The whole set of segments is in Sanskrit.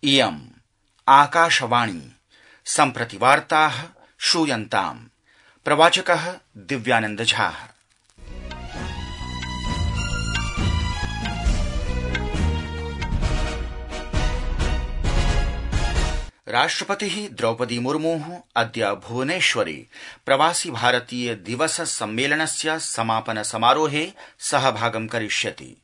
इयम् आकाशवाणी सम्प्रति वार्ताः श्रूयन्ताम्। प्रवाचकः दिव्यानंद झा। राष्ट्रपतिः द्रौपदी मुर्मुः अद्य भुवनेश्वरे प्रवासी भारतीय दिवस सम्मेलनस्य समापन समारोहे सहभागं करिष्यति।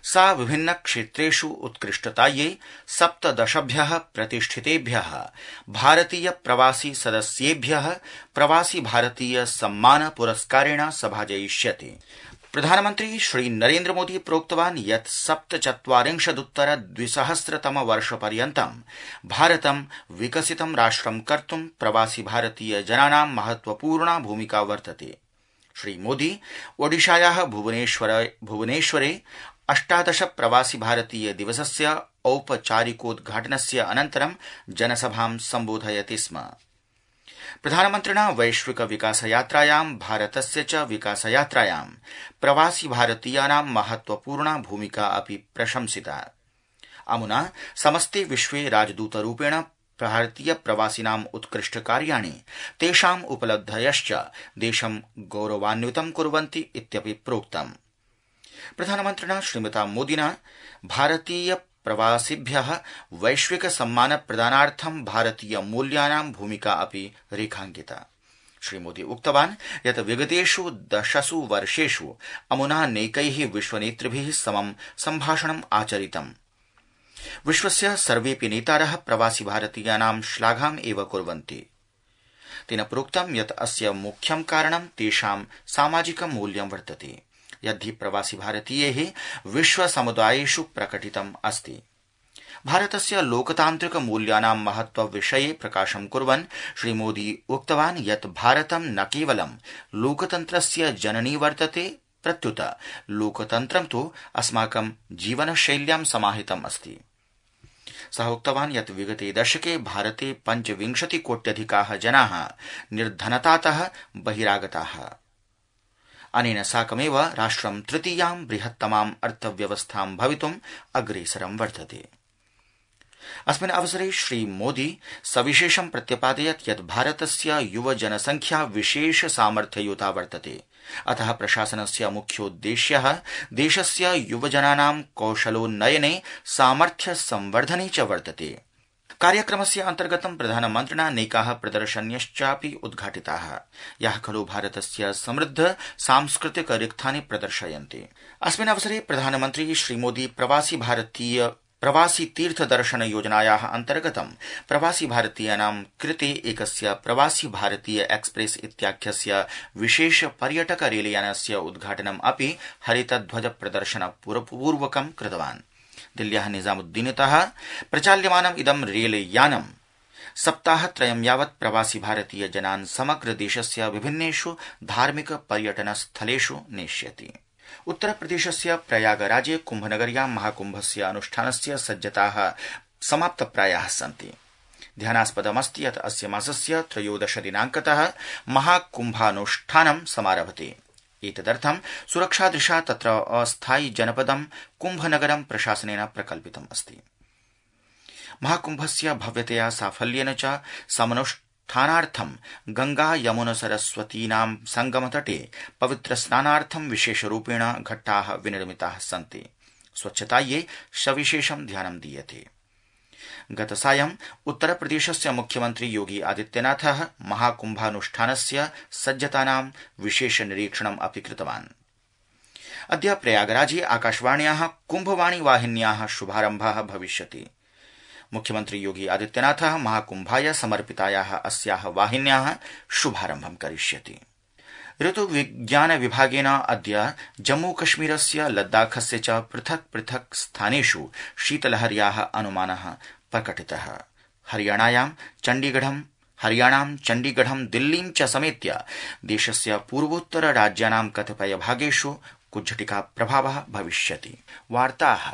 सा विभिन्न क्षेत्रेषु उत्कृष्टतायै 17 प्रतिष्ठितेभ्यः भारतीय प्रवासी सदस्येभ्यः प्रवासी भारतीय सम्मान पुरस्कारेण सभाजयिष्यति। प्रधानमन्त्री श्री नरेन्द्र मोदी प्रोक्तवान् यत् 47 वर्षपर्यन्तं भारतं विकसितं राष्ट्रं कर्तुं प्रवासी भारतीय जनानां महत्वपूर्णा भूमिका वर्तते। श्री मोदी ओडिशायाः भुवनेश्वरे 18 प्रवासी भारतीय दिवसस्य औपचारिकोद्घाटनस्य अनन्तरं जनसभां सम्बोधयति स्म। प्रधानमन्त्रिणा वैश्विक विकासयात्रायां भारतस्य च विकासयात्रायां प्रवासी भारतीयानां महत्वपूर्णा भूमिका अपि प्रशंसिता। अमुना समस्ते विश्वे राजदूतरूपेण भारतीय प्रवासिनाम् उत्कृष्ट कार्याणि तेषाम् उपलब्धयश्च देशं गौरवान्वितं कुर्वन्ति इत्यपि प्रोक्तम्। प्रधानमन्त्रिणा श्रीमता मोदिना भारतीय प्रवासिभ्यः वैश्विक सम्मान प्रदानार्थं भारतीय मूल्यानां भूमिका अपि रेखांकिता। श्रीमोदी उक्तवान् यत् विगतेषु 10 वर्षेषु अमुना नैकैः विश्वनेतृभिः समं सम्भाषणम् आचरितम्। विश्वस्य सर्वेऽपि नेतारः प्रवासी भारतीयानां श्लाघाम् एव कुर्वन्ति। तेन प्रोक्तं यत् अस्य मुख्यं कारणं तेषां सामाजिकं मूल्यं वर्तते, यद्धि प्रवासी भारतीयैः विश्व समुदायेषु प्रकटितम् अस्ति। भारतस्य लोकतान्त्रिक मूल्यानां महत्व विषये प्रकाशं कुर्वन् श्रीमोदी उक्तवान् यत् भारतं न केवलं लोकतन्त्रस्य जननी वर्तते, प्रत्युत लोकतन्त्रं तु अस्माकं जीवनशैल्यां समाहितम् अस्ति। सः उक्तवान् यत् विगते दशके भारते 25 कोट्यधिकाः जनाः निर्धनतातः बहिरागताः। अनेन साकमेव राष्ट्रं तृतीयां बृहत्तमां अर्थव्यवस्थां भवितुम् अग्रेसरं वर्तते। अस्मिन् अवसरे श्रीमोदी सविशेषं प्रत्यपादयत् यत् भारतस्य युव जनसंख्या विशेष सामर्थ्ययुता वर्तते। अतः प्रशासनस्य मुख्योद्देश्यः देशस्य युवजनानां कौशलोन्नयने सामर्थ्य संवर्धने च वर्तते। कार्यक्रमस्य अन्तर्गतं प्रधानमन्त्रिणा नैकाः प्रदर्शन्यश्चापि उद्घाटिताः, याः खलु भारतस्य समृद्ध सांस्कृतिक रिक्थानि प्रदर्शयन्ति। अस्मिन् अवसरे प्रधानमन्त्री श्रीमोदी प्रवासी तीर्थ दर्शन योजनायाः अन्तर्गतं प्रवासी भारतीयानां कृते एकस्य प्रवासी भारतीय एक्सप्रेस इत्याख्यस्य विशेष पर्यटक रेलयानस्य उद्घाटनम् अपि हरितध्वज प्रदर्शन पूर्वकं कृतवान्। दिल्ल्याः निजामुद्दीनतः प्रचाल्यमानम् इदं रेलयानं सप्ताहत्रयं यावत् प्रवासी भारतीय जनान् समग्र देशस्य विभिन्नेषु धार्मिक पर्यटन स्थलेषु नेष्यति। उत्तरप्रदेशस्य प्रयागराजे कुम्भनगर्यां महाकुम्भस्य अनुष्ठानस्य सज्जताः समाप्तप्रायाः सन्ति। ध्यानास्पदमस्ति यत् अस्य मासस्य 13 दिनाङ्कतः महाकुम्भानुष्ठानं समारभते। एतदर्थं सुरक्षादृशा तत्र अस्थायि जनपदं कुम्भनगरं प्रशासनेन प्रकल्पितम् अस्ति। महाकुम्भस्य भव्यतया साफल्येन च समनुष्ठानार्थं गंगा यमुना सरस्वतीनां संगमतटे पवित्र स्नानार्थं विशेषरूपेण घट्टाः विनिर्मिताः सन्ति। स्वच्छतायै सविशेषं ध्यानं दीयते। गतसायं उत्तरप्रदेशस्य मुख्यमन्त्री योगी आदित्यनाथः महाकुम्भानुष्ठानस्य सज्जतानां विशेष निरीक्षणम् अपि कृतवान्। अद्य प्रयागराजे आकाशवाण्याः कुम्भवाणी वाहिन्याः शुभारम्भः भविष्यति। मुख्यमन्त्री योगी आदित्यनाथः महाकुम्भाय समर्पितायाः अस्याः वाहिन्याः शुभारम्भं करिष्यति। ऋतुविज्ञान विभागेन अद्य जम्मूकश्मीरस्य लद्दाखस्य च पृथक् पृथक् स्थानेषु शीतलहर्याः अनुमानः प्रकटितः। हरियाणां चण्डीगढं दिल्लीं च समेत्य देशस्य पूर्वोत्तर राज्यानां कतिपय भागेषु कुज्झटिका प्रभावः भविष्यति। वार्ताः